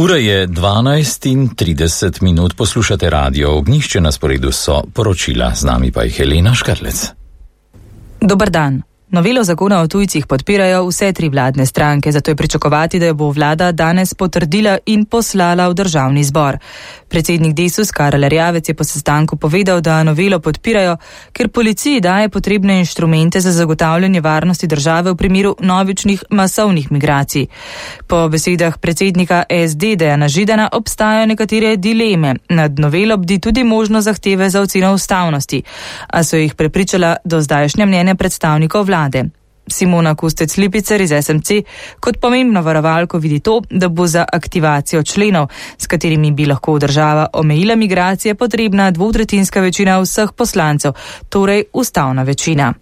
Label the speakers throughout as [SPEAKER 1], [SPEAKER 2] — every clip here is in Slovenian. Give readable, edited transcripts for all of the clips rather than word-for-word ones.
[SPEAKER 1] Ura je 12:30, poslušate Radio Ognjišče, na sporedu so poročila, z nami pa je Helena Škarlec.
[SPEAKER 2] Dober dan. Novelo zakona o tujcih podpirajo vse tri vladne stranke, zato je pričakovati, da jo bo vlada danes potrdila in poslala v državni zbor. Predsednik Desus Karel Erjavec je po sestanku povedal, da novelo podpirajo, ker policiji daje potrebne inštrumente za zagotavljanje varnosti države v primeru novičnih masovnih migracij. Po besedah predsednika SD Dejana Židana obstajajo nekatere dileme. Nad novelo bdi tudi možno zahteve za oceno ustavnosti, a so jih prepričala do zdajšnja mnenja predstavnikov vlade. Simona Kustec-Lipicer iz SMC kot pomembno varovalko vidi to, da bo za aktivacijo členov, s katerimi bi lahko država omejila migracije, potrebna dvotretjinska večina vseh poslancev, torej ustavna večina.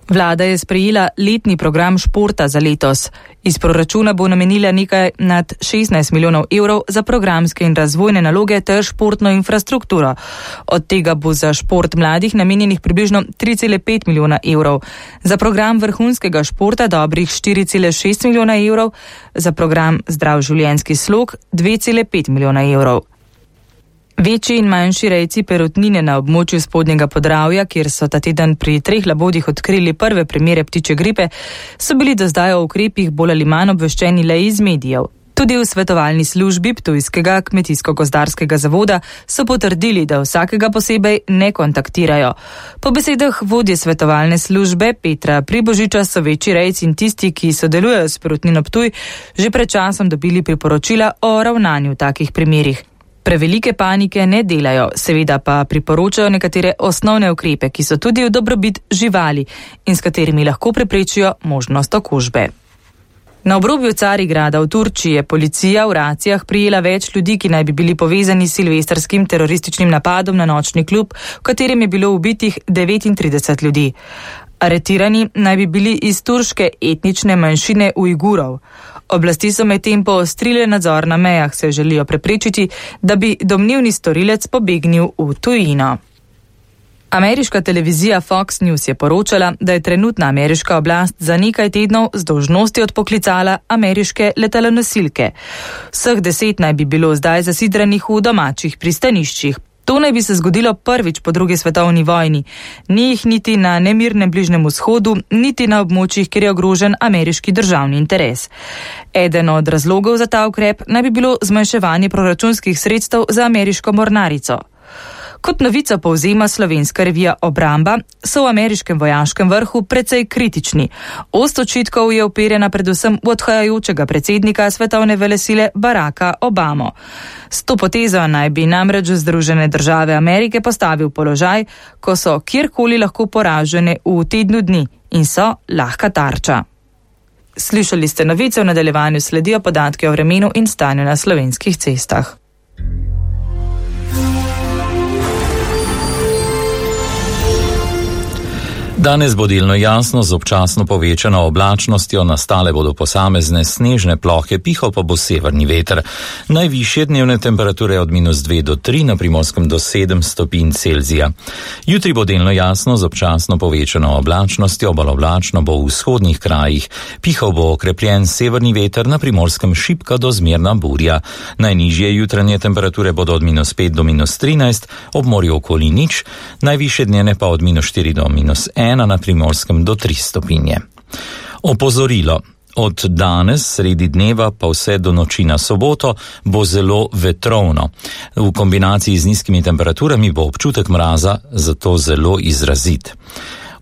[SPEAKER 2] Vlada je sprejela letni program športa za letos. Iz proračuna bo namenila nekaj nad 16 milijonov evrov za programske in razvojne naloge ter športno infrastrukturo. Od tega bo za šport mladih namenjenih približno 3,5 milijona evrov, za program vrhunskega športa dobrih 4,6 milijona evrov, za program zdrav življenjski slog 2,5 milijona evrov. Večji in manjši rejci perutnine na območju Spodnjega Podravja, kjer so ta teden pri 3 labodih odkrili prve primere ptičje gripe, so bili do zdaj o ukrepih bolj ali manj obveščeni le iz medijev. Tudi v svetovalni službi Ptujskega kmetijsko-gozdarskega zavoda so potrdili, da vsakega posebej ne kontaktirajo. Po besedah vodje svetovalne službe Petra Pribožiča so večji rejci in tisti, ki sodelujejo s perutnino Ptuj, že pred časom dobili priporočila o ravnanju v takih primerih. Prevelike panike ne delajo, seveda pa priporočajo nekatere osnovne ukrepe, ki so tudi v dobrobit živali in s katerimi lahko preprečijo možnost okužbe. Na obrobju Carigrada v Turčiji je policija v racijah prijela več ljudi, ki naj bi bili povezani s silvestrskim terorističnim napadom na nočni klub, v katerem je bilo ubitih 39 ljudi. Aretirani naj bi bili iz turške etnične manjšine Ujgurov. Oblasti so medtem poostrile nadzor na mejah, se želijo preprečiti, da bi domnevni storilec pobegnil v tujino. Ameriška televizija Fox News je poročala, da je trenutna ameriška oblast za nekaj tednov z dolžnosti odpoklicala ameriške letalonosilke. Vseh 10 naj bi bilo zdaj zasidranih v domačih pristaniščih. To naj bi se zgodilo prvič po drugi svetovni vojni. Ni jih niti na nemirnem Bližnjem vzhodu, niti na območjih, kjer je ogrožen ameriški državni interes. Eden od razlogov za ta ukrep naj bi bilo zmanjševanje proračunskih sredstev za ameriško mornarico. Kot novico povzema slovenska revija Obramba, so v ameriškem vojaškem vrhu precej kritični. Ost očitkov je uperjena predvsem v odhajajočega predsednika svetovne velesile Baracka Obamo. S to potezo naj bi namreč Združene države Amerike postavil položaj, ko so kjerkoli lahko poražene v tednu dni in so lahka tarča. Slišali ste novice, v nadaljevanju sledijo podatke o vremenu in stanju na slovenskih cestah.
[SPEAKER 1] Danes bo delno jasno z občasno povečano oblačnostjo, nastale bodo posamezne snežne plohe, pihal pa bo severni veter. Najvišje dnevne temperature od -2 do 3, na Primorskem do 7 stopinj Celzija. Jutri bo delno jasno z občasno povečano oblačnostjo, bolj oblačno bo v vzhodnih krajih. Pihal bo okrepljen severni veter, na Primorskem šibka do zmerna burja. Najnižje jutranje temperature bodo od -5 do -13, ob morju okoli nič, najvišje dnevne pa od -4 do -1, na Primorskem do 3 stopinje. Opozorilo. Od danes, sredi dneva, pa vse do noči na soboto, bo zelo vetrovno. V kombinaciji z nizkimi temperaturami bo občutek mraza zato zelo izrazit.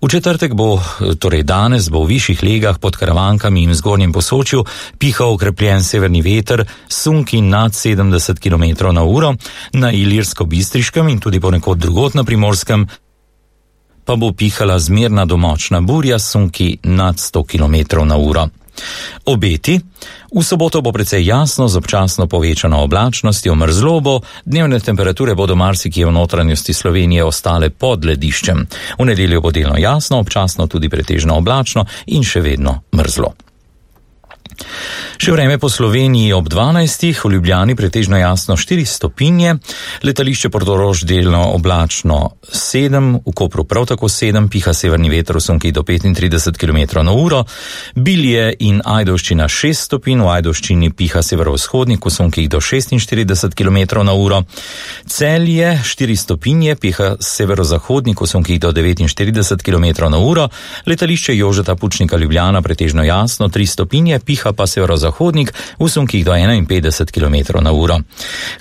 [SPEAKER 1] V četrtek bo, torej danes, bo v višjih legah pod Karavankami in v Zgornjem Posočju pihal okrepljen severni veter, sunki nad 70 km/h, na Ilirsko-Bistriškem in tudi ponekod drugod na Primorskem pa bo pihala zmerna do močna burja, sunki nad 100 km/h. Obeti. V soboto bo precej jasno z občasno povečano oblačnostjo, mrzlo bo, dnevne temperature bodo marsikje v notranjosti Slovenije ostale pod lediščem. V nedeljo bo delno jasno, občasno tudi pretežno oblačno in še vedno mrzlo. Še vreme po Sloveniji ob 12. V Ljubljani pretežno jasno 4 stopinje, letališče Portorož delno oblačno 7, v Kopru prav tako 7, piha severni veter v sunkih do 35 km/h, Bilje in Ajdovščina 6 stopinj, v Ajdovščini piha severovzhodnik v sunkih do 46 km/h, Celje 4 stopinje, piha severozahodnik v sunkih do 49 km/h, letališče Jožeta Pučnika Ljubljana pretežno jasno 3 stopinje, piha pa severozahodnik v sunkih do 51 km/h.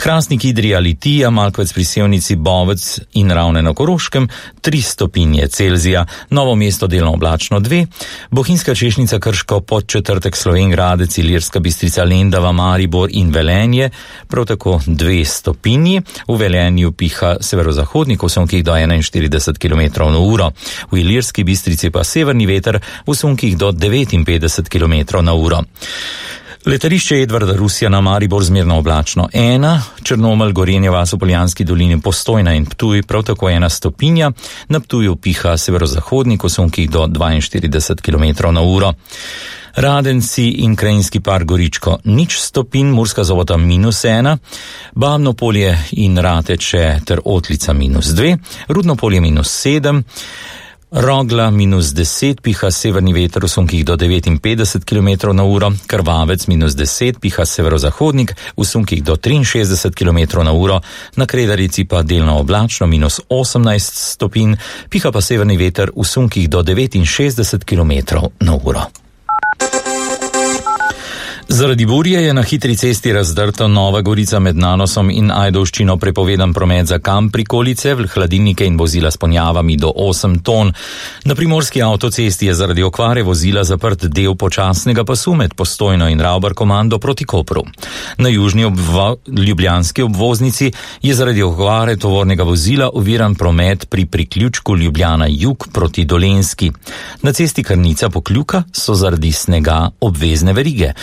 [SPEAKER 1] Hrastnik, Idrija, Litija, Malkovec pri Sevnici, Bovec in Ravne na Koroškem 3 stopinje Celzija, Novo mesto delno oblačno 2, Bohinjska Češnica, Krško, Podčetrtek, Slovenj Gradec, Ilirska Bistrica, Lendava, Maribor in Velenje prav tako 2 stopinji, v Velenju piha severozahodnik v sunkih do 41 km/h, v Ilirski Bistrici pa severni veter v sunkih do 59 km/h. Letališče Edvarda Rusjana, Maribor zmerno oblačno 1, Črnomelj, Gorenje vas v Poljanski dolini, Postojna in Ptuj prav tako 1 stopinja, na Ptuju piha severozahodnik v sunkih do 42 km/h. Radenci in Krajinski park Goričko 0 stopinj, Murska Sobota -1, Babno Polje in Rateče ter Otlica -2, Rudno Polje -7, Rogla -10, piha severni veter v sunkih do 59 km/h, Krvavec -10, piha severozahodnik v sunkih do 63 km/h, na Kredarici pa delno oblačno -18 stopinj, piha pa severni veter v sunkih do 69 km/h. Zaradi burje je na hitri cesti razdrta Nova Gorica med Nanosom in Ajdovščino prepovedan promet za kamp prikolice, hladilnike in vozila s ponjavami do 8 ton. Na primorski avtocesti je zaradi okvare vozila zaprt del počasnega pasu med Postojno in Ravbar komando proti Kopru. Na južni ljubljanski obvoznici je zaradi okvare tovornega vozila oviran promet pri priključku Ljubljana jug proti Dolenjski. Na cesti Krnica Pokljuka so zaradi snega obvezne verige.